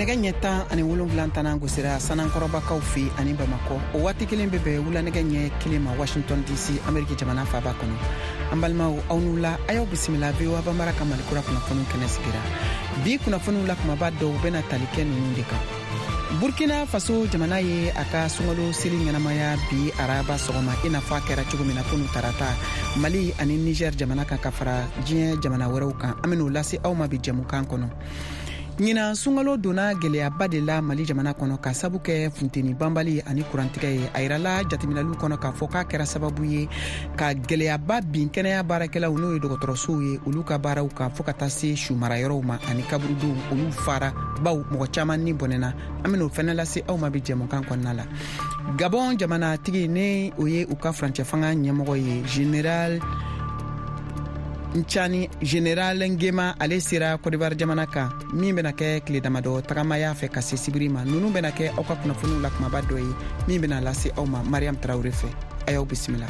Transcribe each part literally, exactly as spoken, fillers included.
Nɛgɛ ɲɛ tan ani wolonwula tana gosira Sanankɔrɔbakaw fɛ ani Bamakɔ. O waati kelen bɛ bɛn wula nɛgɛ ɲɛ kelen ma Washington D C, Ameriki jamana faaba kɔnɔ. An balimaw, aw n'u la, a y'aw bisimila V O A Banbara ka Malikura kunnafoniw kɛnɛ sigira. Bi kunnafoniw la kumaba dɔw bɛna tali kɛ ninnu de kan: Burkina Faso jamana ye a ka sunkalo seli ɲɛnamaya bi araba sɔgɔma, i n'a fɔ a kɛra cogo min na kunu tarata Mali ani Niger jamana kan, ka fara diɲɛ jamana wɛrɛw kan. An ben'o lase aw ma bi jɛmukan kɔnɔ. Ɲinan sunkalo donna gwɛlɛyaba de la Mali jamana kɔnɔ, ka sabu kɛ funteni banbali ani kurantigɛ ye. A yirala jateminɛliw kɔnɔ k'a fɔ k'a kɛra sababu ye ka gwɛlɛyaba bin kɛnɛya baarakɛlaw, n'o ye dɔgɔtɔrɔsow ye, olu ka baaraw kan, fɔɔ ka taa se sumarayɔrɔw ma ani kaburudenw, olu fara baw mɔgɔ caaman ni bɔnɛna. An ben'o fɛnɛ lase aw ma bi jɛmukan kɔnɔna la. Gabɔn jamanatigi, ni o ye u ka furancɛ fanga ɲɛmɔgɔ ye, Général Ncani, Général Ngema, ale sera Kɔdiwari jamana kan, min bena kɛ tile damadɔ tagamaya fɛ ka se sibiri ma. Nunu bena kɛ aw ka kunnafoniw la kumaba dɔ ye min bena lase aw ma Mariam Tarawure fɛ. A y'aw bisimila.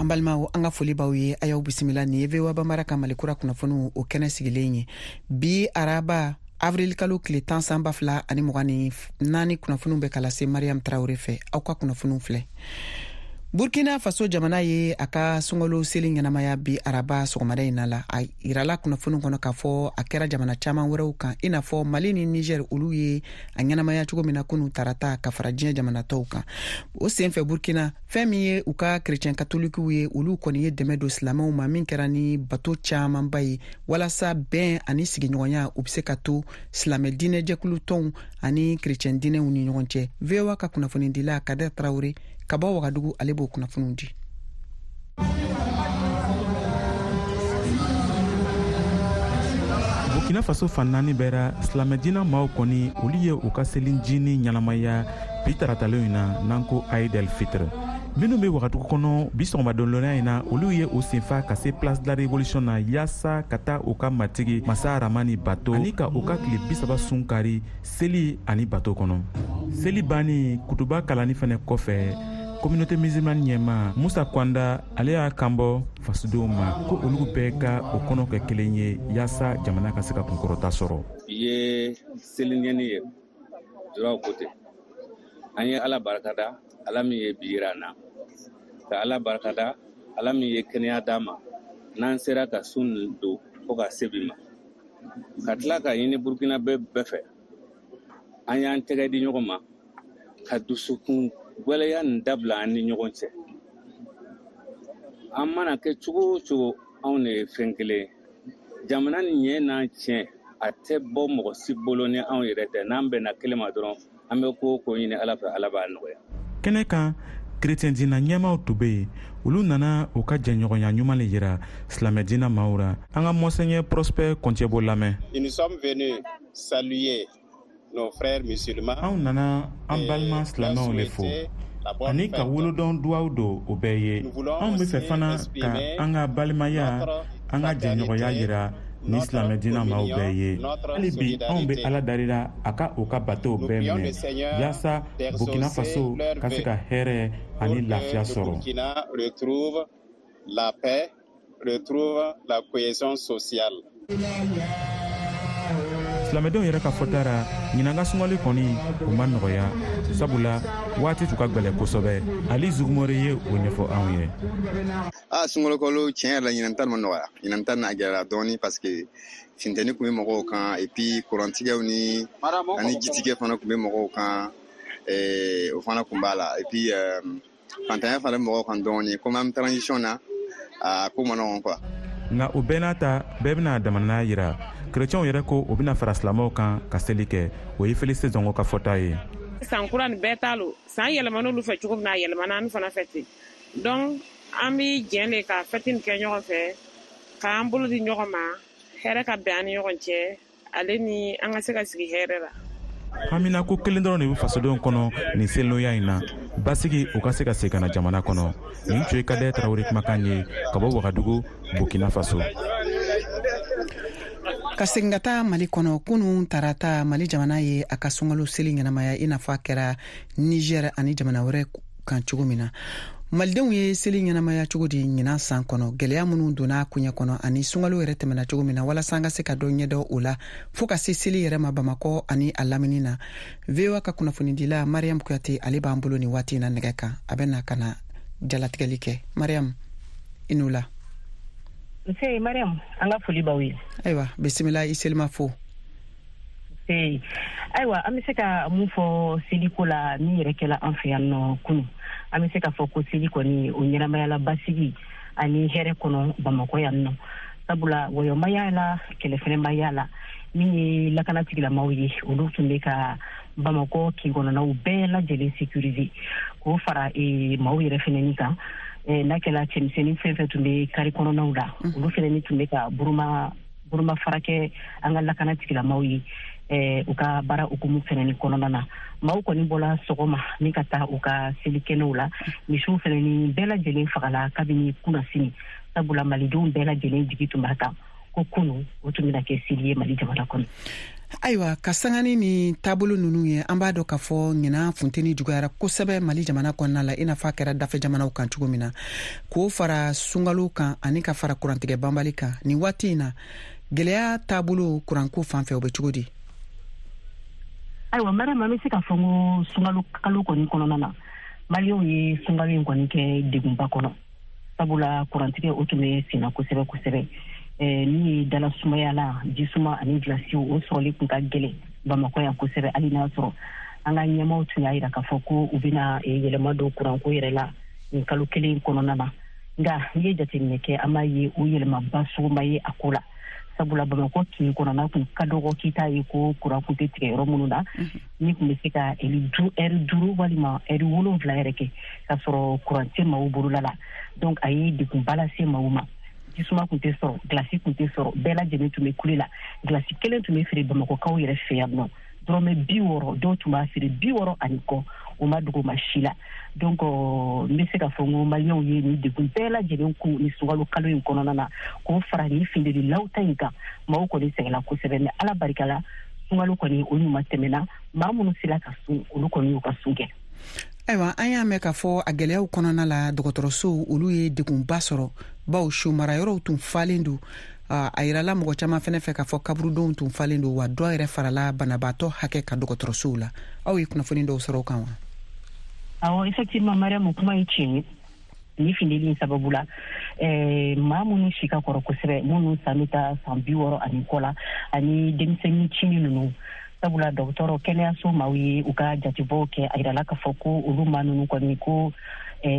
An balimaw, an ka foli b'aw ye, a y'aw bisimila. Nin ye V O A Banbara ka Malikura kunnafoniw o kɛnɛ sigilen ye. Bi araba, avril kalo tile tan, san ba fila ani mugan ni naani, kunnafoniw bɛ ka lase Mariam Tarawure fɛ. Aw ka kunnafoniw filɛ: Burkina Faso jamana ye a ka sunkalo seli ɲɛnamaya bi araba sɔgɔmada in na la. A yirala kunnafoni kɔnɔ k'a fɔ a kɛra jamana caaman wɛrɛw kan, i n'a fɔ Mali ni Niger, olu ye a ɲɛnamaya cogo min na kunu tarata, ka fara diɲɛ jamana tɔw kan. O senfɛ, Burkina, fɛn min ye u ka kerecɛn katolikiw ye, olu kɔni ye dɛmɛ don silamɛw ma, min kɛra ni bato caamanba ye, walasa bɛn ani sigiɲɔgɔnya u be se ka to silamɛ diinɛjɛkulu tɔnw ani kerecɛn diinɛw ni ɲɔgɔn cɛ. V O A ka kunnafonidila Kader Tarawure ka bɔ Wagadugu, ale b'o kunnafoniw di. Burkina Faso fan naani bɛɛ ra, silamɛdina maaw kɔni, olu ye u ka selinjini ɲɛnamaya bi taratalenw na, n'an ko Aid el Fitr. Minnu be Wagadugu kɔnɔ bi sɔgɔmadonlɔnya in na, olu ye u senfa ka se Place de la Révolution na, yaasa ka taa u ka matigi masa Ramani bato ani ka u ka tile bisaba sun kari seli ani bato kɔnɔ. Seli banni, kutuba kalanni fɛnɛ kɔfɛ, communauté musulmane ɲɛma Musa Kwanda, ale y'a kanbɔ fasodenw ma ko olu bɛɛ ka o kɔnɔ kɛ kelen ye, yaasa jamana ka se ka kunkɔrɔta sɔrɔ. Bi ye seliɲɛni ye duraw ko ten. An ye Ala barikada, Ala min ye bi yira an na, ka Ala barikada, Ala min ye kɛnɛya d'an ma n'an sera ka sun don fo ka se bi ma, ka tila ka ɲini Burukina bɛɛ bɛɛ fɛ, an y'an tɛgɛ di ɲɔgɔn ma ka dusukun gwɛlɛya nin dabila an ni ɲɔgɔn cɛ. An mana kɛ cogo o cogo, anw de ye fɛn kelen ye. Jamana nin ɲɛ n'an tiɲɛ, a tɛ bɔ mɔgɔ si bolo ni anw yɛrɛ tɛ. N'an bɛnna kelen ma dɔrɔn, an bɛ ko o ko ɲini Ala fɛ, Ala b'a nɔgɔya. Kɛnɛ kan, kerecɛn dina ɲɛmaw tun be yen. Olu nana u ka jɛɲɔgɔnya ɲuman le yira silamɛ dina maaw ra. An ka Monseigneur Prosper Kɔncɛbo lamɛn. Nous sommes venus saluer nos frères musulmans. Anw nana an balima silamɛw le fo ani ka wolodɔn duwaw don o bɛɛ ye. Anw be fɛ fana ka an ka balimaya, an ka jɛɲɔgɔnya yira ni silamɛ dina maaw bɛɛ ye. Hali bi, anw be Ala darila a ka u ka batow bɛɛ minɛ, yaasa Burkina Faso ka se ka hɛrɛ ani lafiya sɔrɔ. Burkina retrouve la paix, retrouve la cohésion sociale. Silamɛdenw yɛrɛ ka fɔta ra, ɲinan ka sunkalo kɔni, o ma nɔgɔya, sabula waati tun ka gwɛlɛ kosɛbɛ. Ali Zugumore ye o ɲɛfɔ anw ye. A sunkalo kalo, tiɲɛ yɛrɛ la, ɲinan ta ma nɔgɔya. Ɲinan ta n'a gɛlɛyara dɔɔni, parce que funteni kun bɛ mɔgɔw kan, et puis kurantigɛw ni ani jitigɛ fana kun bɛ mɔgɔw kan, o fana kun b'a la, et puis fantanya fana bɛ mɔgɔw kan dɔɔni. Comme an bɛ transition na, a ko ma nɔgɔn quoi. Nka o bɛɛ n'a ta, bɛɛ bɛna damanaya yira. Kerecɛnw yɛrɛ ko o bɛna fara silamɛw kan ka seli kɛ. O ye Félicité Zongo ka fɔta ye. San kura nin, bɛɛ t'a lo. San yɛlɛman'olu fɛ cogo min na, a yɛlɛmana an fana fɛ ten. Donc an bi jɛn de ka fɛti nin kɛ ɲɔgɔn fɛ, k'an bolo di ɲɔgɔn ma, hɛrɛ ka bɛn an ni ɲɔgɔn cɛ, ale ni an ka se ka sigi hɛrɛ la. Hamina ko kelen dɔrɔn de bɛ fasodenw kɔnɔ nin selilonya in na: basigi o ka se ka segin ka na jamana kɔnɔ. Nin tun ye Kadɛ Tarawele kumakan ye ka bɔ Wagadugu, Burkina Faso. Ka segin ka taa Mali kɔnɔ, kunun tarata, Mali jamana ye a ka sunkalo seli ɲɛnamaya i n'a fɔ a kɛra Niger ani jamana wɛrɛ kan cogo min na. Malidenw ye seli ɲɛnamaya cogo di ɲinan san kɔnɔ, gɛlɛya minnu donna koɲɛ kɔnɔ ani sunkalo yɛrɛ tɛmɛna cogo min na, walasa an ka se ka dɔ ɲɛdɔn o la fɔɔ ka se seli yɛrɛ ma Bamakɔ ani a lamini na. V O A ka kunnafonidila Mariam Kuyate, ale b'an bolo nin waati in na nɛgɛ kan. A bɛ na ka na jalatigɛli kɛ. Mariam, i n'u la. Nse Mariam, an ka foli b'aw ye. Ayiwa, bisimila, i selima fo. Nse, ayiwa, an bɛ se ka mun fɔ seliko la min yɛrɛ kɛla an fɛ yan nɔ kunu? An bɛ se k'a fɔ ko seli kɔni, o ɲɛnamayala basigi ani hɛrɛ kɔnɔ Bamakɔ yan nɔ, sabula wɔyɔ ma y'a la, kɛlɛ fɛnɛ ma y'a la. Min ye lakana tigilamaw ye, olu tun bɛ ka Bamakɔ kin kɔnɔnaw bɛɛ lajɛlen sécuriser, k'o fara e, maaw yɛrɛ fɛnɛni kan. N'a kɛla cɛmisɛnnin fɛn fɛn tun bɛ kari kɔnɔnaw la, olu fɛnɛni tun bɛ ka buruma buruma fara kɛ an ka lakana tigilamaw ye u ka baara hukumu fɛnɛni kɔnɔna na. Maaw kɔni bɔla sɔgɔma ni ka taa u ka selikɛnɛw la. Misiw fɛnɛni bɛɛ lajɛlen fagala kabini kunnasini, sabula malidenw bɛɛ lajɛlen jigi tun b'a kan ko kunu o tun bɛna kɛ seli ye Mali jamana kɔnɔ. Ayiwa, ka sangani ni taabolo ninnu ye, an b'a dɔn k'a fɔ ɲinan funteni juguyara kosɛbɛ Mali jamana kɔnɔna la i n'a fɔ a kɛra dafɛ jamanaw kan cogo min na, k'o fara sunkalo kan ani ka fara kurantigɛ banbali kan. Nin waati in na, gɛlɛya taabolo kuranko fan fɛ, o bɛ cogo di? Ayiwa Mariam, an bɛ se k'a fɔ ko sunkalo kalo kɔni kɔnɔna na, maliyɛnw ye sunkalo in kɔni kɛ degunba kɔnɔ, sabula kurantigɛ o tun bɛ senna kosɛbɛ kosɛbɛ. Min ye dala sumaya la, jisuma ani gilasiw, o sɔrɔli tun ka gɛlɛn Bamakɔ yan kosɛbɛ, hali n'a sɔrɔ an ka ɲɛmaaw tun y'a jira k'a fɔ ko u bɛna yɛlɛma don kuranko yɛrɛ la nin kalo kelen kɔnɔna na. Nka n'i ye jateminɛ kɛ, an b'a ye o yɛlɛmaba sugu ma ye a ko la, sabula Bamakɔ kin kɔnɔna tun ka dɔgɔ k'i t'a ye ko kuran tun tɛ tigɛ yɔrɔ minnu na, ni tun bɛ se ka ɛri duuru walima ɛri wolonwula yɛrɛ kɛ k'a sɔrɔ kuran tɛ maaw bolola la. Donc a ye degunba lase maaw ma. Jisuma tun tɛ sɔrɔ, gilasi tun tɛ sɔrɔ, bɛɛ lajɛlen tun bɛ kule la. Gilasi kelen tun bɛ feere Bamakɔkaw yɛrɛ fɛ yan nɔ dɔrɔmɛ bi wɔɔrɔ, dɔw tun b'a feere bi wɔɔrɔ ani kɔ, o ma dogo ma si la. Donc n bɛ se k'a fɔ n ko maliyɛnw ye nin degun bɛɛ lajɛlen kun ni sunkalo kalo in kɔnɔna na, k'o fara nin funteni lawuta in kan. Maaw kɔni sɛgɛnna kosɛbɛ, mais Ala barika la, sunkalo kɔni o ɲuman tɛmɛna. Maa minnu sera ka sun, olu kɔni y'u ka sun kɛ. Ayiwa, an y'a mɛn k'a fɔ a gɛlɛyaw kɔnɔna la, dɔgɔtɔrɔsow, olu ye degunba sɔrɔ, bawo su marayɔrɔw tun falen don. A yirala mɔgɔ caman fɛnɛ fɛ k'a fɔ kaburudenw tun falen don, wa dɔ yɛrɛ farala banabaatɔ hakɛ ka dɔgɔtɔrɔsow la. Aw ye kunnafoni dɔw sɔrɔ o kan wa? Awɔ, effectivement Mariam, kuma ye tiɲɛ ye. Ni funteni in sababu la, maa minnu si ka kɔrɔ kosɛbɛ, minnu san bɛ taa san bi wɔɔrɔ ani kɔ la, ani denmisɛnnin cinin ninnu, sabula dɔgɔtɔrɔ kɛnɛyaso maaw ye u ka jatebɔw kɛ, a yirala k'a fɔ ko olu maa ninnu kɔni, ko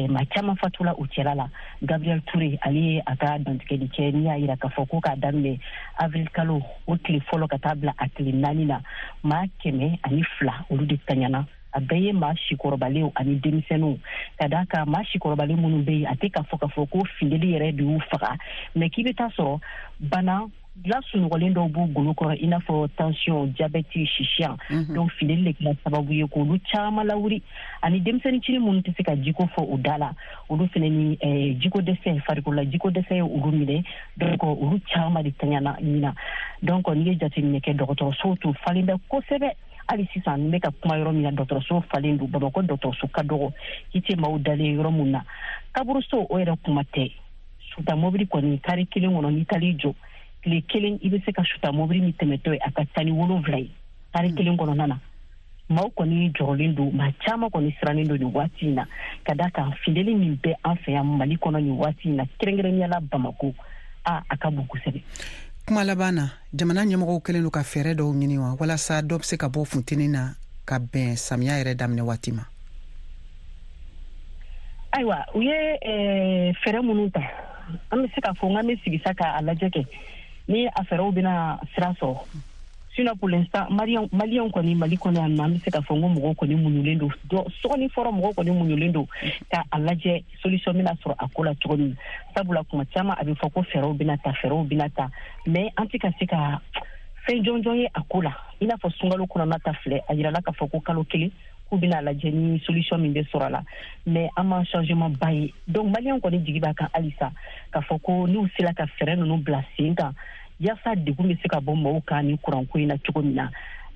maa caman fatula u cɛla la. Gabriel Touré, ale ye a ka dantigɛli kɛ n'i y'a yira k'a fɔ ko k'a daminɛ avril kalo o tile fɔlɔ ka taa bila a tile naani na, maa kɛmɛ ani fila olu de taɲana. A bɛɛ ye maa sikɔrɔbalenw ani denmisɛnninw. Ka d'a kan maa sikɔrɔbalen minnu bɛ yen, a tɛ k'a fɔ k'a fɔ ko funteni yɛrɛ de y'u faga, mais k'i bɛ taa sɔrɔ bana lasunɔgɔlen dɔw b'u golo kɔrɔ, i n'a fɔ tension, diabète, sisiyan. Donc funteni de kɛra sababu ye k'olu caman lawuli, ani denmisɛnnin cinin minnu tɛ se ka jiko fɔ u da la, olu fana ni jiko dɛsɛ, farikolola jiko dɛsɛ ye olu minɛ. Donc olu caman de taɲana ɲina. Donc n'i ye jateminɛ kɛ, dɔgɔtɔrɔsow tun falen bɛ kosɛbɛ. Hali sisan n bɛ ka kuma yɔrɔ min na, dɔgɔtɔrɔso falen don. Bamakɔ dɔgɔtɔrɔso ka dɔgɔ k'i tɛ maaw dalen yɔrɔ mun na. Kaburuso, o yɛrɛ kuma tɛ. Suta mobili kɔni, kari kelen kɔnɔ, n'i taar'i jɔ tile kelen, i bɛ se ka suta mobili min tɛmɛtɔ ye, a ka ca ni wolonwula ye kari kelen kɔnɔna na. Maaw kɔni jɔrɔlen don, maa caman kɔni sirannen don nin waati in na, ka d'a kan funteni min bɛ an fɛ yan Mali kɔnɔ nin waati in na, kɛrɛnkɛrɛnnenya la Bamakɔ, a a ka bon kosɛbɛ. Kuma laban na, jamana ɲɛmɔgɔw kɛlen don ka fɛɛrɛ dɔw ɲini wa, walasa dɔ bɛ se ka bɔ funteni na ka bɛn samiya yɛrɛ daminɛ waati ma? Ayiwa, u ye fɛɛrɛ minnu ta, an bɛ se k'a fɔ n k'an bɛ sigi sa k'a lajɛ kɛ ni a fɛɛrɛw bɛna sira sɔrɔ. Sinon pour l'instant, maliyɛnw kɔni Mali kɔnɔ yan nɔ, an bɛ se k'a fɔ n ko mɔgɔw kɔni muɲulen don. Dɔ sɔgɔni fɔlɔ, mɔgɔw kɔni muɲulen don k'a lajɛ solution bɛna sɔrɔ a ko la cogo min, sabula kuma caman a bɛ fɔ ko fɛɛrɛw bɛna ta, fɛɛrɛw bɛna ta, mais an tɛ ka se ka fɛn jɔnjɔn ye a ko la. I n'a fɔ sunkalo kɔnɔna ta filɛ, a yirala k'a fɔ ko kalo kelen k'u bɛna lajɛ ni solution min bɛ sɔrɔ a la, mais an ma changement ba ye. Donc maliyɛnw kɔni jigi b'a kan halisa k'a fɔ ko n'u sera ka fɛɛrɛ ninnu bila sen kan, yaasa degun bɛ se ka bɔ maaw kan ni kuranko in na cogo min na.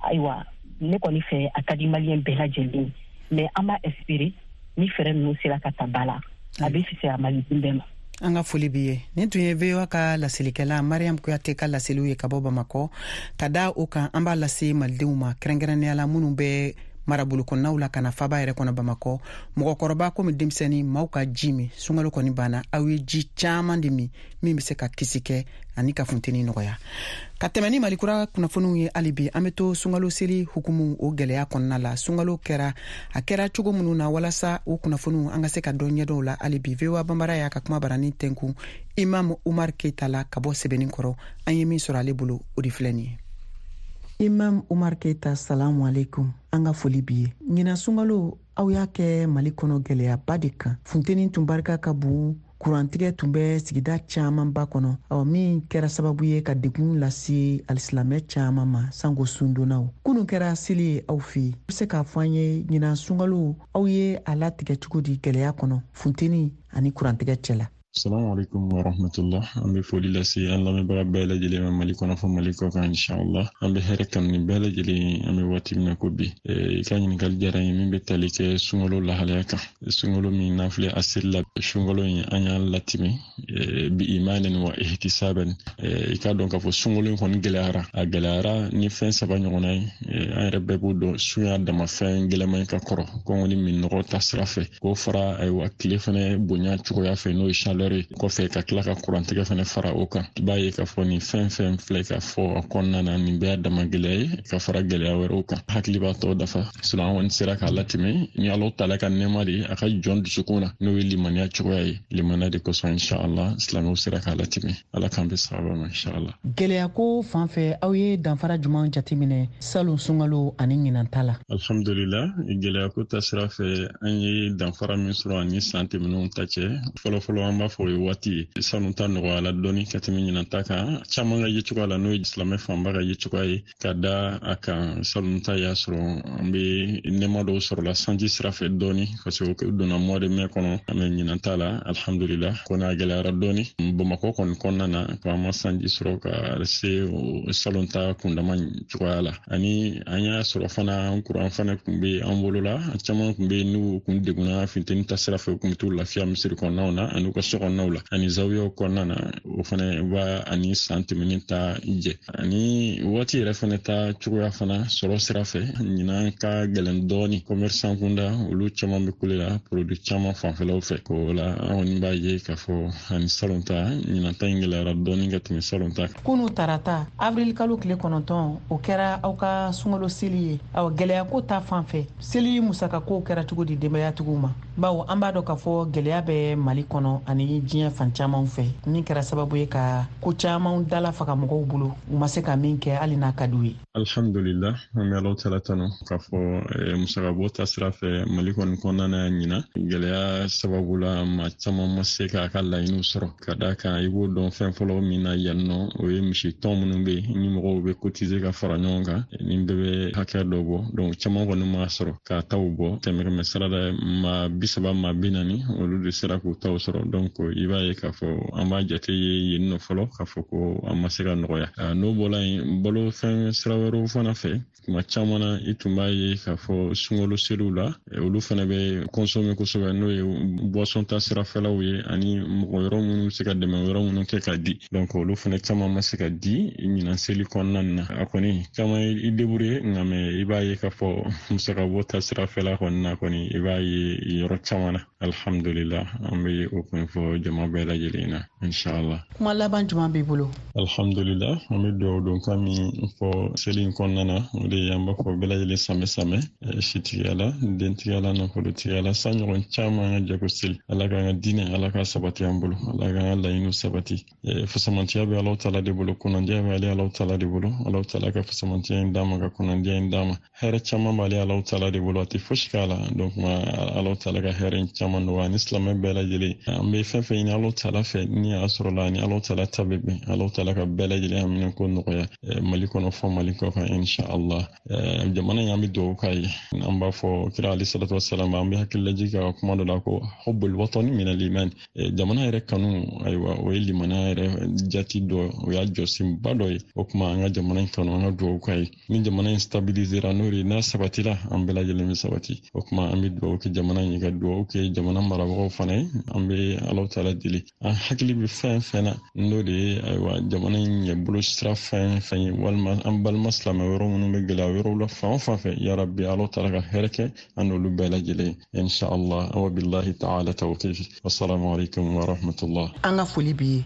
Ayiwa, ne kɔni fɛ a ka di maliyɛn bɛɛ lajɛlen, mais an b'a espérer ni fɛɛrɛ ninnu sera ka ta ba la, a bɛ fisaya maliden bɛɛ ma. An ka foli b'i ye. Nin tun ye V O A ka laselikɛla Mariam Kuyate ka laseliw ye ka bɔ Bamakɔ. Ka da o kan, an b'a lase malidenw ma, kɛrɛnkɛrɛnnenya la minnu bɛ marabolo kɔnɔnaw la ka na faba yɛrɛ kɔnɔ Bamakɔ. Mɔgɔkɔrɔba komi denmisɛnnin, maaw ka ji min. Sunkalo kɔni banna, aw ye ji caman de min min bɛ se ka kisi kɛ ani ka funteni nɔgɔya. Ka tɛmɛ ni Malikura kunnafoniw ye hali bi, an bɛ to sunkalo seli hukumu o gɛlɛya kɔnɔna la. Sunkalo kɛra a kɛra cogo minnu na, walasa o kunnafoniw an ka se ka dɔn ɲɛdɔn la hali bi. V O A Banbara y'a ka kuma barani tɛnkun Imam Umar Keita la ka bɔ Sɛbɛnni kɔrɔ. An ye min sɔrɔ ale bolo, o de filɛ nin ye. Imam Umar Keita, salamu alaikum. An ka foli b'i ye. Ɲinan sunkalo, aw y'a kɛ Mali kɔnɔ gɛlɛyaba de kan. Funteni tun barika ka bon, kurantigɛ tun bɛ sigida camanba kɔnɔ, ɔ min kɛra sababu ye ka degun lase alisilamɛ caman ma, sanko sundonnaw. Kunun kɛra seli ye aw fɛ yen. I bɛ se k'a fɔ an ye, ɲinan sunkalo, aw ye a latigɛ cogo di gɛlɛya kɔnɔ, funteni ani kurantigɛ cɛ la? Assalamu alaikum wa rahmatullah. An bɛ foli lase an lamɛnbaga bɛɛ lajɛlen ma Mali kɔnɔ fo Mali kɔ kan, inshallah. An bɛ hɛrɛ kanu ni bɛɛ lajɛlen, an bɛ waati min na ko bi. I ka ɲininkali diyara n ye min bɛ tali kɛ sunkalo lahalaya kan. Sunkalo min n'an filɛ a seli la, sunkalo in an y'a latimi bi imanin wa ihtisaban. I k'a dɔn k'a fɔ sunkalo in kɔni gɛlɛyara. A gɛlɛyara ni fɛn saba ɲɔgɔnna ye. An yɛrɛ bɛɛ b'o dɔn, sun y'a dama fɛn gɛlɛman ye ka kɔrɔ. Kɔngɔ ni minnɔgɔ ta sira fɛ. K'o fara ayiwa tile fɛnɛ bonya cogoya fɛ, n'o ye chaleur kɔfɛ, ka tila ka kurantigɛ fɛnɛ fara o kan. I b'a ye k'a fɔ nin fɛn fɛn filɛ ka fɔ a kɔnɔna na, nin bɛɛ y'a dama gɛlɛya ye ka fara gɛlɛya wɛrɛw kan. Hakili b'a tɔ dafa. Sinon an kɔni sera k'a latɛmɛ ni Alahu taala ka nɛɛma de ye a ka jɔn dusukun na, n'o ye limaniya cogoya ye. Limaniya de kosɔn inshallah silamɛw sera k'a latɛmɛ. Ala k'an bɛ sababa ma inshallah. Gɛlɛya ko fan fɛ, aw ye danfara jumɛn jateminɛ salon sunkalo ani ɲinan ta la? Alhamdulillah, gɛlɛya ko ta sira fɛ, an ye danfara min sɔrɔ ani san tɛmɛnenw ta cɛ. Fɔlɔfɔlɔ an b'a fɔ o ye waati ye, sanu ta nɔgɔyala dɔɔni ka tɛmɛ ɲinan ta kan. Caman ka yecogoya la, n'o ye silamɛ fanba ka yecogoya ye, ka da a kan sanu ta y'a sɔrɔ an bɛ nɛɛma dɔw sɔrɔla sanji sira fɛ dɔɔni, parce que o donna mois de mai kɔnɔ. An bɛ ɲinan ta la, alhamdulillah, kɔni a gɛlɛyara dɔɔni Bamakɔ kɔni kɔnɔna na, ko an ma sanji sɔrɔ ka se salon ta kundama cogoya la. Ani an y'a sɔrɔ fana kuran fana tun bɛ an bolo la, caman tun bɛ yen n'u kun degunna funteni ta sira fɛ, u kun bɛ t'u lafiya misiri kɔnɔnaw na ani u ka so kɔnɔnaw la ani zawiyaw kɔnɔna na. O fana b'a ani san tɛmɛnen ta jɛ. Ani waati yɛrɛ fana ta cogoya fana sɔrɔ sira fɛ, ɲinan ka gɛlɛn dɔɔni. Commerçant kunda, olu caman bɛ kule la produit caman fanfɛlaw fɛ. O la an kɔni b'a ye k'a fɔ ani salon ta, ɲinan ta in gɛlɛyara dɔɔni ka tɛmɛ salon ta kan. Kunu tarata, avril kalo tile kɔnɔntɔn, o kɛra aw ka sunkalo seli ye. Awa, gɛlɛya ko ta fan fɛ, seli musakako kɛra cogo di denbayatigiw ma? Bawo an b'a dɔn k'a fɔ gɛlɛya bɛ Mali kɔnɔ ani diɲɛ fan caman fɛ, min kɛra sababu ye ka ko caman dala faga mɔgɔw bolo, u ma se ka min kɛ hali n'a ka d'u ye. Alhamdulillah, an bɛ Alahu taala tanu k'a fɔ musakabɔ ta sira fɛ Mali kɔni kɔnɔna na ɲinan gɛlɛya sababu la, maa caman ma se k'a ka laɲiniw sɔrɔ. Ka d'a kan, i b'o dɔn fɛn fɔlɔ min na yan nɔ, o ye misi tɔn minnu bɛ yen ni mɔgɔw bɛ cotiser ka fara ɲɔgɔn kan, ni bɛɛ bɛ hakɛ dɔ bɔ. Donc caman kɔni m'a sɔrɔ k'a taw bɔ. Kɛmɛ kɛmɛ sara la, maa bi saba, maa bi naani, olu de sera k'u taw sɔrɔ. Donc i b'a ye k'a fɔ an b'a jate ye yen nɔ fɔlɔ k'a fɔ ko an ma se ka nɔgɔya. N'o bɔla yen, balo fɛn sira wɛrɛw fana fɛ, tuma caman na i tun b'a ye k'a fɔ sunkalo seliw la, olu fana bɛ consommer kosɛbɛ, n'o ye boisson ta sirafɛlaw ye ani mɔgɔ yɔrɔ minnu bɛ se ka dɛmɛ yɔrɔ minnu kɛ ka di. Donc olu fana caman ma se ka di ɲinan seli kɔnɔna na. A kɔni caman ye i débrouiller, nka mɛ i b'a ye k'a fɔ musakabɔ ta sirafɛla kɔni na kɔni, i b'a ye yɔrɔ caman na. Alhamdulillah, an bɛ o kun fɔ jama bɛɛ lajɛlen na inshallah. Kuma laban jumɛn b'i bolo? Alhamdulillah, an bɛ dugawu don kan min fɔ seli in kɔnɔna na, o de ye an b'a fɔ bɛɛ lajɛlen samɛ samɛ, sitigiya la, dentigiya la, nafolotigiya la, san ɲɔgɔn caman an ka jɛ ko seli. Ala k'an ka diinɛ, Ala k'a sabati an bolo, Ala k'an ka laɲiniw sabati. Fasamantiya bɛ Alahu taala de bolo, kunnandiya bɛ ale Alahu taala de bolo. Alahu taala ka fasamantiya in d'a ma, ka kunnandiya in d'a ma. Hɛrɛ caman b'ale Alahu taala de bolo, a tɛ fosi k'a la. Donc Alahu taala ka hɛrɛ in caman nɔgɔya ani silamɛ bɛɛ lajɛlen. An bɛ fɛn fɛn ɲini Alahu taala fɛ ni ni a sɔrɔla ni Alahu Taala ta bɛ bɛn. Alahu Taala ka bɛɛ lajɛlen hamina ko nɔgɔya Mali kɔnɔ fɔ Mali kɔ kan inshallah. Jamana in an bɛ dugawu k'a ye. An b'a fɔ kira alayhi salatu wasalam, an bɛ hakililajigin ka kuma dɔ la ko hubbul watani min al-iman. Jamana yɛrɛ kanu, ayiwa, o ye limaniya yɛrɛ jati dɔ, o y'a jɔsenba dɔ ye. O tuma an ka jamana in kanu, an ka dugawu k'a ye. Ni jamana in stabilisera, n'o de n'a sabatira, an bɛɛ lajɛlen bɛ sabati. O tuma an bɛ dugawu kɛ jamana in ye, ka dugawu kɛ jamana marabagaw fana ye. An bɛ Alahu Taala deli, an hakili bɛ fɛn fɛn na, n'o de ye ayiwa jamana in ɲɛbolo sira fɛn fɛn ye, walima an balima silamɛ yɔrɔ minnu bɛ gɛlɛya yɔrɔw la fan o fan fɛ, yarabi Alahu Taala ka hɛrɛ kɛ an n'olu bɛɛ lajɛlen inshallah. Wa billahi ta'ala tawfiq. Wassalamu alaikum wa rahmatullah. An ka foli b'i ye.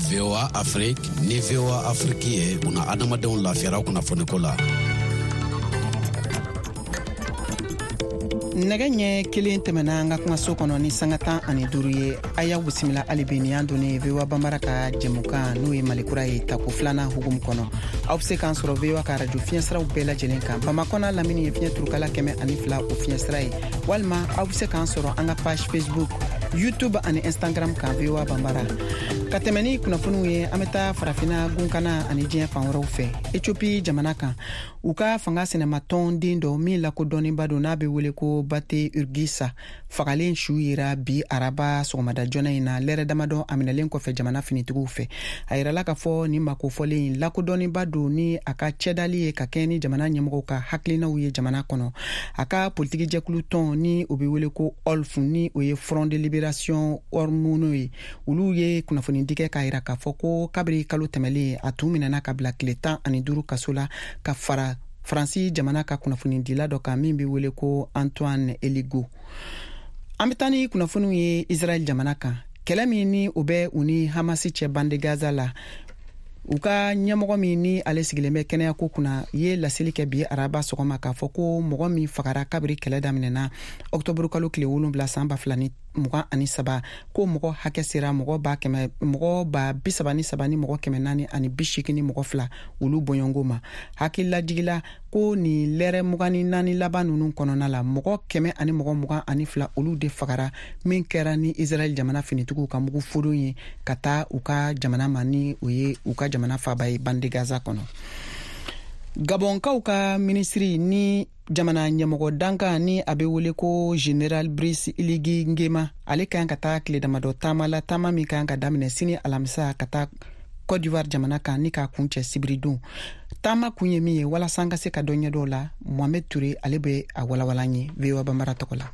V O A Afrique ni V O A Afrique ye una adamadenw lafiyara kunnafoniko la. Nɛgɛ ɲɛ kelen tɛmɛna an ka kumaso kɔnɔ ni sanga tan ani duuru ye. A y'aw bisimila hali bi nin y'an donnen V O A Banbara ka jɛmukan n'o ye Malikura ye tako filanan hukumu kɔnɔ. Aw bɛ se k'an sɔrɔ V O A ka arajo fiɲɛsiraw bɛɛ lajɛlen kan. Bamakɔ n'a lamini ye fiɲɛ turukala kɛmɛ ani fila o fiɲɛsira ye. Walima aw bɛ se k'an sɔrɔ an ka page Facebook, YouTube ani Instagram kan V O A Banbara. Ka tɛmɛ ni kunnafoniw ye, an bɛ taa farafinna gunkana ani diɲɛ fan wɛrɛw fɛ. Ethiopie jamana kan, u ka fanga sɛnɛmatɔnden dɔ min lakodɔnnenba don n'a bɛ wele ko Bate Urgisa fagalen su yera bi araba sɔgɔmada joona in na lɛrɛ damadɔ a minɛlen kɔfɛ jamana finitigiw fɛ. A yirala k'a fɔ nin makofɔlen in lakodɔnnenba don ni a ka cɛdali ye ka kɛɲɛ ni jamana ɲɛmɔgɔw ka hakilinaw ye jamana kɔnɔ. A ka politiki jɛkulu tɔn ni o bɛ wele ko O L F ni o ye Front de Libération Oromo ye, olu ye kunnafoni di kɛ k'a yira k'a fɔ ko kabiri kalo tɛmɛlen a tun minɛna ka bila tile tan ani duuru kaso la ka fara Faransi jamana ka kunnafonidila dɔ kan min bɛ wele ko Antoine Eligo. An bɛ taa ni kunnafoniw ye Israɛl jamana kan. Kɛlɛ min ni o bɛ u ni Hamasi cɛ bande Gaza la, u ka ɲɛmɔgɔ min ni ale sigilen bɛ kɛnɛyako kunna ye laseli kɛ bi araba sɔgɔma k'a fɔ ko mɔgɔ min fagara kabiri kɛlɛ daminɛna ɔktɔburu kalo tile wolonwula san ba fila ni mugan ani saba, ko mɔgɔ hakɛ sera mɔgɔ ba kɛmɛ mɔgɔ ba bi saba ni saba ni mɔgɔ kɛmɛ naani ani bi seegin ni mɔgɔ fila olu bɔɲɔgɔnko ma. Hakililajigila ko nin lɛrɛ mugan ni naani laban ninnu kɔnɔna la, mɔgɔ kɛmɛ ani mɔgɔ mugan ani fila olu de fagara min kɛra ni Israɛl jamana finitigiw ka mugu fodon ye ka taa u ka jamana ma ni o ye u ka jamana faaba ye bande Gaza kɔnɔ. Gabɔnkaw ka minisiri ni jamana ɲɛmɔgɔ dankan ni a bɛ wele ko General Brice Oligui Nguema, ale ka kan ka taa tile damadɔ taama la, taama min ka kan ka daminɛ sini alamisa ka taa Côte d'Ivoire jamana kan ni k'a kuncɛ sibiridon. Taama kun ye min ye walasa an ka se ka dɔ ɲɛdɔn o la, Mohamed Touré ale bɛ a walawala an ye V O A Banbara tɔgɔ la.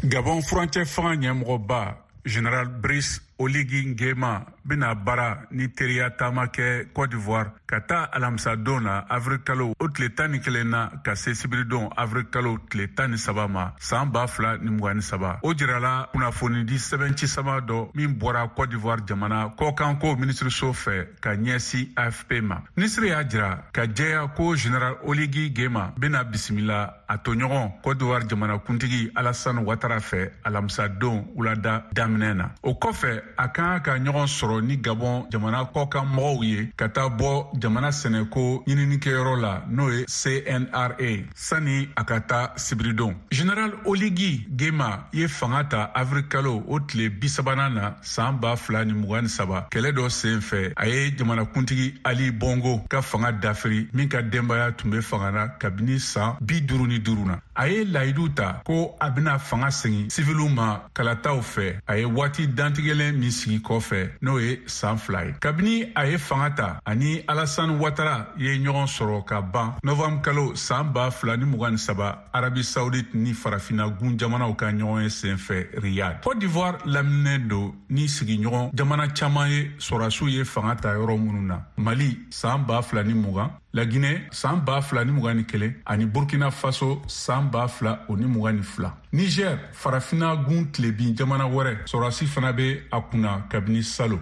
Gabon furancɛ fanga ɲɛmɔgɔba General Brice Oligui Nguema bɛna baara ni teriya taama kɛ Côte d'Ivoire ka taa alamisadon na avril kalo o tile tan ni kelen na ka se sibiridon avril kalo tile tan ni saba ma san ba fila ni mugan ni saba. O jirala kunnafonidi sɛbɛnci sama dɔ min bɔra Côte d'Ivoire jamana kɔkanko minisiriso fɛ ka ɲɛsin A F P ma. Minisiri y'a jira ka jɛya ko General Oligui Nguema bɛna bisimila a tɔɲɔgɔn Côte d'Ivoire jamanakuntigi Alassane Ouattara fɛ alamisadon wulada daminɛ na. O kɔfɛ a kan ka ɲɔgɔn sɔrɔ ni Gabon jamana kɔkan mɔgɔw ye ka taa bɔ jamana sɛnɛko ɲininikɛyɔrɔ la n'o ye C N R A sani a ka taa sibiridon. General Oligui Nguema ye fanga ta avril kalo o tile bi sabanan na san ba fila ni mugan ni saba kɛlɛ dɔ sen fɛ. A ye jamanakuntigi Ali Bongo ka fanga dafiri min ka denbaya tun bɛ fanga na kabini san bi duuru ni duuru na. A ye layidu ta ko a bɛna fanga segin siviliw ma kalataw fɛ. A ye waati dantigɛlen min sigi kɔfɛ n'o ye san fila ye. Kabini a ye fanga ta ani Alassane Ouattara ye ɲɔgɔn sɔrɔ ka ban novembre kalo san ba fila ni mugan ni saba Arabie Saoudite ni farafinna gun jamanaw ka ɲɔgɔn ye sen fɛ Riyad. Côte d'Ivoire laminɛnen don ni sigiɲɔgɔn jamana caman ye sɔrɔdasiw ye fanga ta yɔrɔ minnu na. Mali san ba fila ni mugan, La Guinée san ba fila ni mugan ni kelen ani Burkina Faso san ba fila o ni mugan ni fila. Niger farafinna gun tilebin jamana wɛrɛ sɔrɔdasi fana bɛ a kunna kabini salo.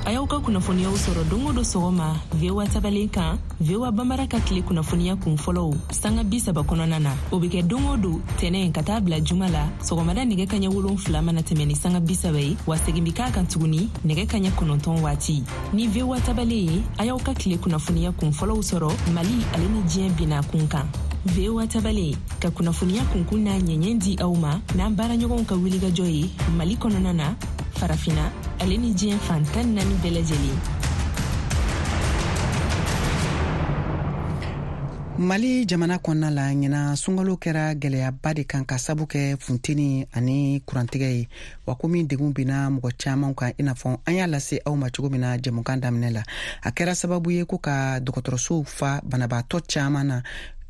A y'aw ka kunnafoniyaw sɔrɔ don o don sɔgɔma V O A tabalen kan, V O A Bambara ka tile kunnafoniya kun fɔlɔw sanga bi saba kɔnɔna na. O bɛ kɛ don o don tɛnɛn ka taa bila juma la sɔgɔmada nɛgɛ kaɲɛ wolonfila mana tɛmɛ ni sanga bi saba ye, wa segin bɛ k'a kan tuguni nɛgɛ kaɲɛ kɔnɔntɔn waati. Ni V O A tabalen ye, a y'aw ka tile kunnafoniya kun fɔlɔw sɔrɔ Mali ale ni diɲɛ binna kun kan. V O A tabalen ka kunnafoniya kunkun n'a ɲɛɲɛ di aw ma n'an baaraɲɔgɔnw ka wulikajɔ ye Mali kɔnɔna na, Farafina ale ni diɲɛ fan tan naani bɛɛ lajɛlen. Mali jamana kɔnɔna la, ɲinan sunkalo kɛra gɛlɛyaba de kan ka sabu kɛ funteni ani kurantigɛ ye, wa komi degun binna mɔgɔ caman kan, i n'a fɔ an y'a lase aw ma cogo min na jɛmukan daminɛ la. A kɛra sababu ye ko ka dɔgɔtɔrɔsow fa banabaatɔ caman na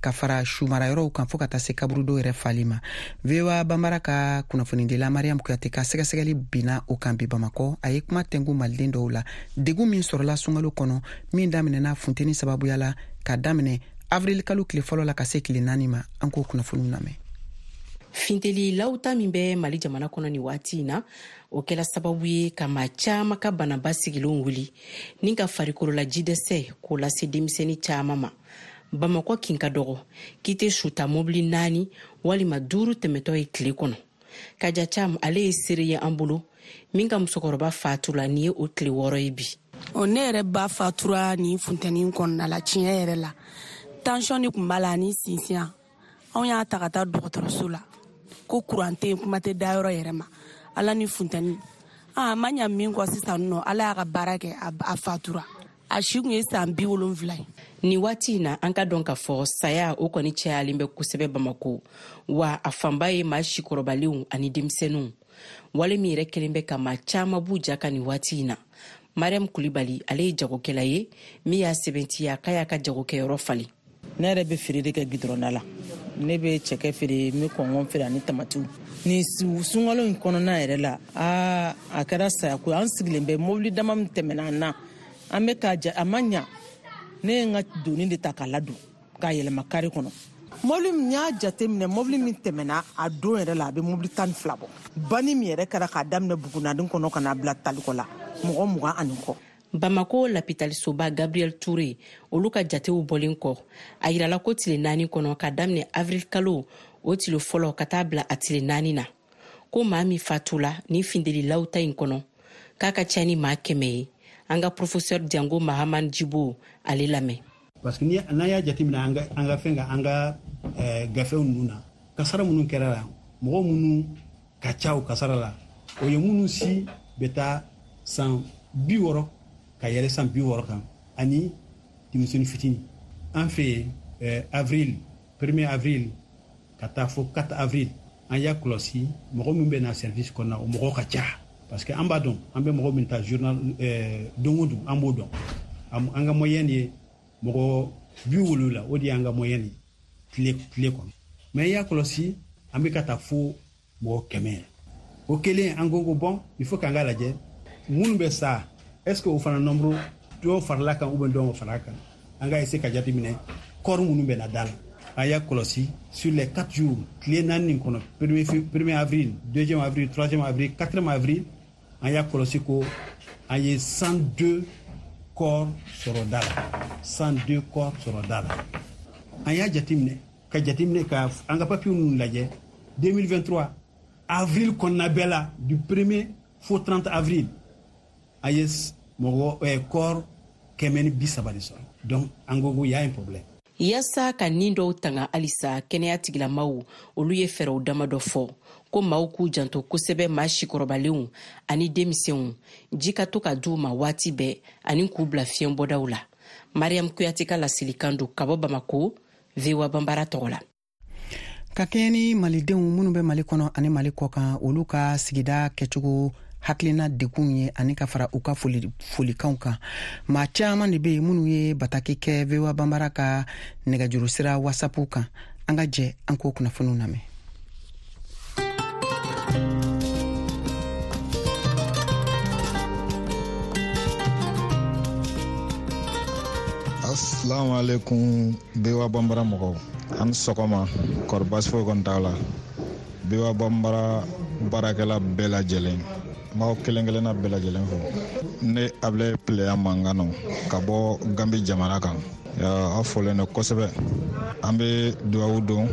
ka fara sumarayɔrɔw kan fo ka taa se kaburudo yɛrɛ fali ma. V O A Bambara ka kunnafonidila Mariam Kuyate ka sɛgɛsɛgɛli binna o kan bi Bamakɔ. A ye kuma tɛnku maliden dɔw la degun min sɔrɔla sunkalo kɔnɔ min daminɛna funteni sababuya la ka daminɛ avril kalo tile fɔlɔ la ka se tile naani ma. An k'o kunnafoniw lamɛn. Finteli lawuta min bɛ Mali jamana kɔnɔ nin waati in na, o kɛla sababu ye ka maa caman ka banaba sigilenw wuli ni ka farikolola jidɛsɛ k'o lase denmisɛnnin caman ma. Bamakɔ kin ka dɔgɔ k'i tɛ suta mobili naani walima duuru tɛmɛtɔ ye tile kɔnɔ. Kaja Cam ale ye seere ye an bolo min ka musokɔrɔba fatura nin ye o tile wɔɔrɔ ye bi. Ɔ ne yɛrɛ ba fatura nin funteni kɔnɔna la, tiɲɛ yɛrɛ la tension de tun b'a la ani sinsinya. Anw y'a ta ka taa dɔgɔtɔrɔso la ko kuran tɛ yen, kuma tɛ dayɔrɔ yɛrɛ ma, ala ni funteni. A ma ɲa min kɔ sisan nɔ, ala y'a ka baara kɛ, a fatura. A si kun ye san bi wolonfila ye. Nin waati in na, an ka dɔn k'a fɔ saya o kɔni cayalen bɛ kosɛbɛ Bamako, wa a fanba ye maa sikɔrɔbalenw ani denmisɛnninw. Wale min yɛrɛ kɛlen bɛ ka maa caman b'u ja kan nin waati in na. Mariam Kulibali ale ye jagokɛla ye min y'a sɛbɛntiya k'a y'a ka jagokɛyɔrɔ falen. Ne yɛrɛ bɛ feere de kɛ gidɔrɔnda la. Ne bɛ cɛkɛ feere, n bɛ kɔngɔn feere ani tamatiw. Ni sunkalo in kɔnɔna yɛrɛ la, aa a kɛra sayako ye. An sigilen bɛ mobili dama min tɛmɛna an na, an bɛ ka ja, a ma ɲa. Ne ye n ka doni de ta k'a ladon k'a yɛlɛma kari kɔnɔ. Mobili min y'a jateminɛ, mobili min tɛmɛna a don yɛrɛ la, a bɛ mobili tan ni fila bɔ. Banni min yɛrɛ kɛra k'a daminɛ Bugunaden kɔnɔ ka n'a bila Talikɔ la, mɔgɔ mugan ani kɔ. Bamako lapitalisoba Gabriel Touré olu ka jatew bɔlen kɔ, a yirala ko tile naani kɔnɔ ka daminɛ avril kalo o tile fɔlɔ ka taa bila a tile naani na, ko maa min fatula ni findeli lawuta in kɔnɔ k'a ka ca ni maa kɛmɛ ye. An ka professeur Diango Mahaman Djibo ale lamɛn. Parce que n'an y'a jateminɛ an ka an ka fɛn kan, an ka gafew ninnu na, kasara minnu kɛra la, mɔgɔ minnu ka ca o kasara la, o ye minnu si bɛ taa san bi wɔɔrɔ ka yɛlɛ san bi wɔɔrɔ kan ani denmisɛnnin fitinin. An fɛ yen avril, premier avril ka taa fo quatre avril, an y'a kɔlɔsi mɔgɔ min bɛ na service kɔnɔna, o mɔgɔ ka ca. Parce que an b'a dɔn, an bɛ mɔgɔ min ta journal don o don, an b'o dɔn. An ka moyenne ye mɔgɔ bi wolonwula, o de y'an ka moyenne ye tile tile kɔnɔ. Mais i y'a kɔlɔsi, an bɛ ka taa fo mɔgɔ kɛmɛ. O kelen, an ko ko bon, il faut k'an k'a lajɛ minnu bɛ sa, est ce que o fana nombre dɔw farala kan ou bien dɔw ma fara kan. An ka essayer ka jateminɛ corps minnu bɛ na da la. An y'a kɔlɔsi sur les quatre jours, tile naani nin kɔnɔ, premier premier avril, deuxième avril, troisième avril, quatrième avril, an y'a kɔlɔsi ko an ye cent deux corps sɔrɔ da la, cent deux corps sɔrɔ da la. An y'a jateminɛ ka jateminɛ ka an ka papier ninnu lajɛ deux mille vingt-trois avril kɔnɔna bɛɛ la, du premier fo trente avril, an ye mɔgɔ eh, corps kɛmɛ ni bi saba de sɔrɔ. Donc an ko ko y a un problème. Yaasa ka nin dɔw tanga halisa, kɛnɛya tigilamaw olu ye fɛɛrɛw damadɔ fɔ ko maaw k'u janto kosɛbɛ maa sikɔrɔbalenw ani denmisɛnw, ji ka to ka d'u ma waati bɛɛ ani k'u bila fiɲɛbɔdaw la. Mariam Kuyate ka laselikan don ka bɔ Bamako, V O A Bambara tɔgɔ la. Ka kɛɲɛ ni malidenw minnu bɛ Mali kɔnɔ ani Mali kɔkan, olu ka sigida kɛcogo hakilina degun ye ani ka fara u ka foli folikanw kan. Maa caman de bɛ yen minnu ye bataki kɛ V O A Bambara ka nɛgɛjuru sira WhatsApp kan. An ka jɛ an k'o kunnafoniw lamɛn. Assalamu alaikum V O A Bambara mɔgɔw. An sɔgɔma, kɔri baasi foyi kɔni t'aw la. V O A Bambara baarakɛla bɛɛ lajɛlen, N b'aw kelen kelenna bɛɛ lajɛlen fo. Ne Ablaye Pileya mankan nɔ ka bɔ Gambi jamana kan. Aw folen don kosɛbɛ. An bɛ dugawu don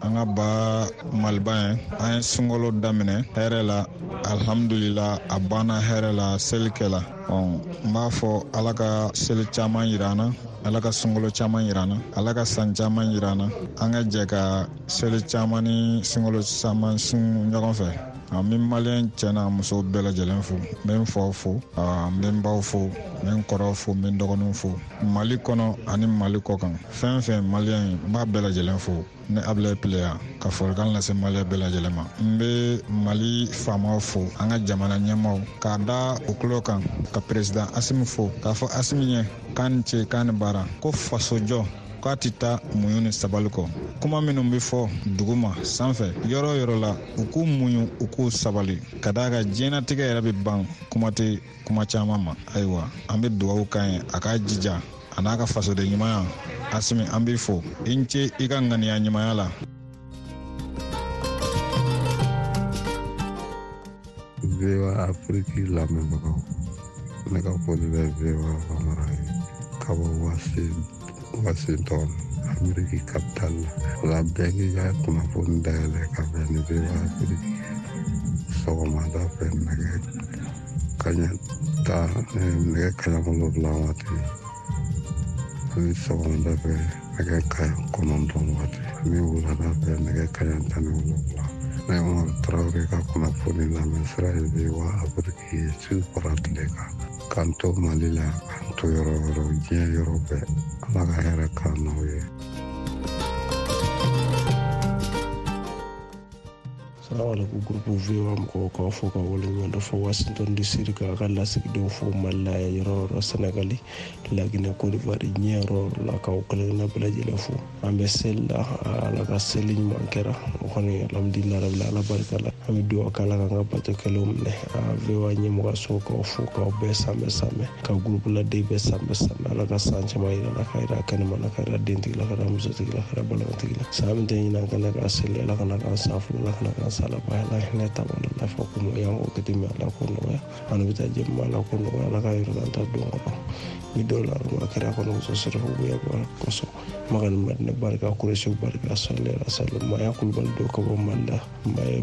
an ka ba Maliba ye. An ye sunkalo daminɛ hɛrɛ la, alhamdulila a banna hɛrɛ la, seli kɛla. N b'a fɔ Ala ka seli caman yira an na, Ala ka sunkalo caman yira an na, Ala ka san caman yira an na. An ka jɛ ka seli caman ni sunkalo caman sun ɲɔgɔn fɛ. N bɛ maliyɛn cɛ n'a muso bɛɛ lajɛlen fo. N bɛ n faw fo, n bɛ n baw fo, n bɛ n kɔrɔw fo, n bɛ n dɔgɔninw fo. Mali kɔnɔ ani Mali kɔ kan, fɛn fɛn maliyɛn ye, n b'a bɛɛ lajɛlen fo. Ne Ablaye Pileya ka folikan lase maliyɛn bɛɛ lajɛlen ma. N bɛ Mali faamaw fo, an ka jamana ɲɛmaaw, k'a da u tulo kan, ka président Asimi fo, k'a fɔ Asimi ɲɛ k'a ni ce k'a ni baara, ko fasojɔ k'a tɛ taa muɲu ni sabali kɔ. Kuma minnu bɛ fɔ dugu ma sanfɛ yɔrɔ o yɔrɔ la, u k'u muɲu u k'u sabali, ka d'a kan diɲɛnatigɛ yɛrɛ bɛ ban kuma tɛ kuma caman ma. Ayiwa, an bɛ dugawu k'a ye a k'a jija a n'a ka fasoden ɲumanya. Asimi, an b'i fo, i ni ce i ka ŋaniya ɲumanya la. V O A Afrique lamɛnbagaw, ne ka foli bɛ V O A Bambara ye ka bɔ Washington, Ameriki capital la. O la bɛɛ k'i ka kunnafoni dayɛlɛ ka bɛn ni V O A Afrique sɔgɔmada fɛ nɛgɛ kaɲɛ tan nɛgɛ kaɲɛ wolonwula waati ani sɔgɔmada fɛ nɛgɛ kaɲɛ kɔnɔntɔn waati ani wulada fɛ nɛgɛ kaɲɛ tan ni wolonwula. Ne Umaru Tarawele ka kunnafoni lamɛn sira ye V O A Afrique ye su fara tile kan. K'an to Mali la, k'an to yɔrɔ o yɔrɔ, diɲɛ yɔrɔ bɛɛ. Ala ka hɛrɛ k'an n'aw ye. Salamaleykum groupe V O A mɔgɔw, k'aw fo ka waleɲuman dɔn fo Washington D C k'a ka lasigidenw fo Mali la yɔrɔ o yɔrɔ, Senegali, Laginɛ, Côte d'Ivoire, diɲɛ yɔrɔ o yɔrɔ la, k'aw kelenkelenna bɛɛ lajɛlen fo. An bɛ seli la, Ala ka seli ɲuman kɛra. O kɔni alhamdulilayi rabil ala barika la. An bɛ dugawu kɛ Ala k'an ka bato kɛlenw minɛ. V O A ɲɛmɔgɔso k'aw fo, k'aw bɛɛ sanbɛ sanbɛ, ka groupe laden bɛɛ sanbɛ sanbɛ. Ala ka san caman yira la, ka yira kɛnɛma la, ka yira dentigi la, ka yira musotigi la, ka yira balimatigi la. San min tɛ ɲinɛ an kana k'a seli, Ala kana k'an san fila, Ala kana k'an san laban, Ala hinɛ ta b'a la, lafiya ko nɔgɔya, an k'o kɛ ten, Ala k'o nɔgɔya. An bɛ taa jɛma, Ala k'o nɔgɔya, Ala ka yɔrɔ an ta don kɔnɔ. Ni dɔw la ma kɛra kɔnɔ muso sɔrɔ bonya bɔra kosɔn. Maga ni Madina barika, Kuresiw barika, sɔli ala sali. Maya Kulubali dɔ ka bɔ Mali la.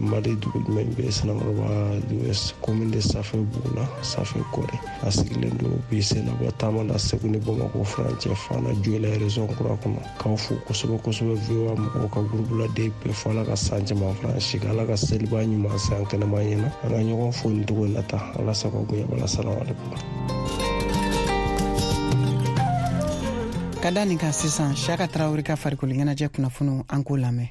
Mali dugu jumɛn bɛ Sanankɔrɔba commune de Safɛ Bugu la, Safɛ Kɔrɛ. A sigilen don bi Senabɔ taama la Segu ni Bamakɔ furancɛ Fana Joyila région kura kɔnɔ. K'aw fo kosɛbɛ kosɛbɛ V O A mɔgɔw ka groupe laden bɛɛ fo. Ala ka san caman fara an si kan, Ala ka seliba ɲuman se an kɛnɛma ɲɛna. An ka ɲɔgɔn fo nin cogo in na tan. Ala sago bonya bala. Salamaleykum. Ka da nin kan sisan, Siyaka Tarawele ka farikolo ɲɛnajɛ kunnafoniw, an k'o lamɛn.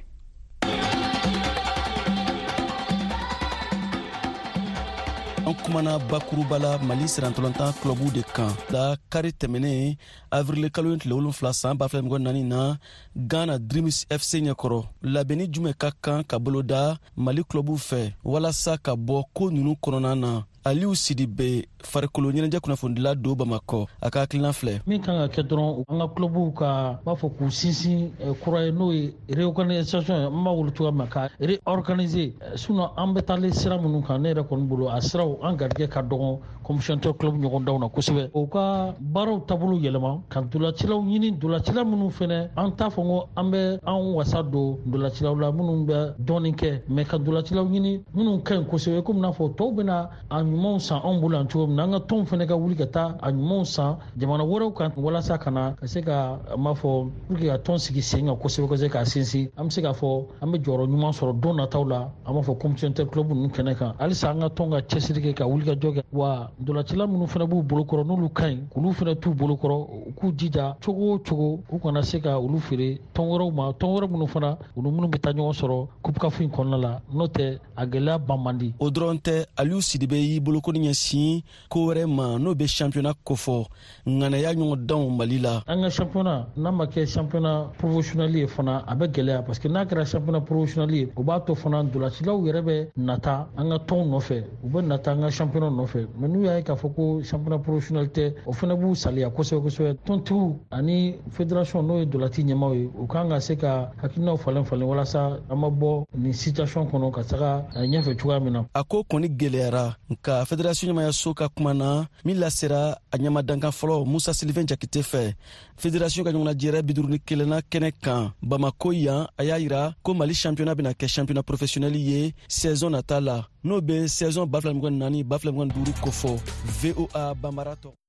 An kumana bakuruba la Mali sirantɔlɔntan clubu de kan la kari tɛmɛnen avril kalo tile wolonfila san ba fila mugan naani na Ghana Dreams F C ɲɛkɔrɔ. Labɛnni jumɛn ka kan ka boloda Mali clubu fɛ walasa ka bɔ ko nunu kɔnɔna na? Aliou Sidibe, farikolo ɲɛnajɛ kunnafonidila don Bamakɔ, a ka hakilina filɛ. Min kan ka kɛ dɔrɔn, an ka clubuw ka b'a fɔ k'u sinsin kura ye, n'o ye réorganisation ye, an b'a wele cogoya min na ka réorganiser. Sinon an bɛ taalen sira minnu kan, ne yɛrɛ kɔni bolo a siraw an garijɛgɛ ka dɔgɔn commission club ɲɔgɔn daw na kosɛbɛ. O ka baaraw taabolo yɛlɛma ka dolacilaw ɲini, dolacila minnu fɛnɛ an t'a fɔ ko an bɛ an wasa don dolacilaw la minnu bɛ dɔɔnin kɛ, mais ka dolacilaw ɲini minnu ka ɲi kosɛbɛ, komi n'a fɔ tɔw bɛna a ɲumanw san anw bolo yan cogo min na, an ka tɔnw fɛnɛ ka wuli ka taa a ɲumanw san jamana wɛrɛw kan walasa ka na ka se ka an b'a fɔ pour que ka tɔn sigi sen kan kosɛbɛ kosɛbɛ k'a sinsin. An bɛ se k'a fɔ an bɛ jɔyɔrɔ ɲuman sɔrɔ don nataw la, an b'a fɔ compétition club ninnu kɛnɛ kan. Halisa an ka tɔn ka cɛsiri kɛ ka wuli ka jɔ kɛ, wa dolacila minnu fɛnɛ b'u bolokɔrɔ n'olu ka ɲi, k'olu fɛnɛ t'u bolokɔrɔ, u k'u jija cogo o cogo u kana se ka olu feere tɔn wɛrɛw ma, tɔn wɛrɛ minnu fana olu minnu bɛ taa ɲɔgɔn sɔrɔ coupe CAF in kɔnɔna la, n'o tɛ a gɛlɛya ban man di. O dɔrɔn tɛ, Aliou Sidibe y'i bolokoni ɲɛsin ko wɛrɛ ma, n'o bɛ championnat kofɔ, ŋanaya ɲɔgɔndanw Mali la. An ka championnat n'a ma kɛ championnat professionnel ye fana, a bɛ gɛlɛya, parce que n'a kɛra championnat professionnel ye, o b'a to fana ntolacilaw yɛrɛ bɛ nata an ka tɔnw nɔfɛ, u bɛ nata an ka championnat nɔfɛ. Mais n'u y'a ye k'a fɔ ko championnat professionnel tɛ, o fana b'u saliya kosɛbɛ kosɛbɛ. Tɔntigiw ani fédération, n'o ye ntolaci ɲɛmaaw ye, u kan ka se ka hakilinaw falen falen walasa an ma bɔ nin situation kɔnɔ ka taga ɲɛfɛ cogoya min na. A ko kɔni gɛlɛyara, nka fédération ɲɛmayaso ka kuma na min lasera a ɲɛmadankan fɔlɔ Musa Sylvain Jakite fɛ, fédération ka ɲɔgɔnnajɛrɛ bi duuru ni kelenna kɛnɛ kan Bamako yan, a y'a yira ko Mali championnat bɛna kɛ championnat professionnel ye saison nata la, n'o bɛ saison ba fila mugan naani ba fila mugan duuru kofɔ. V O A Banbara tɔgɔ.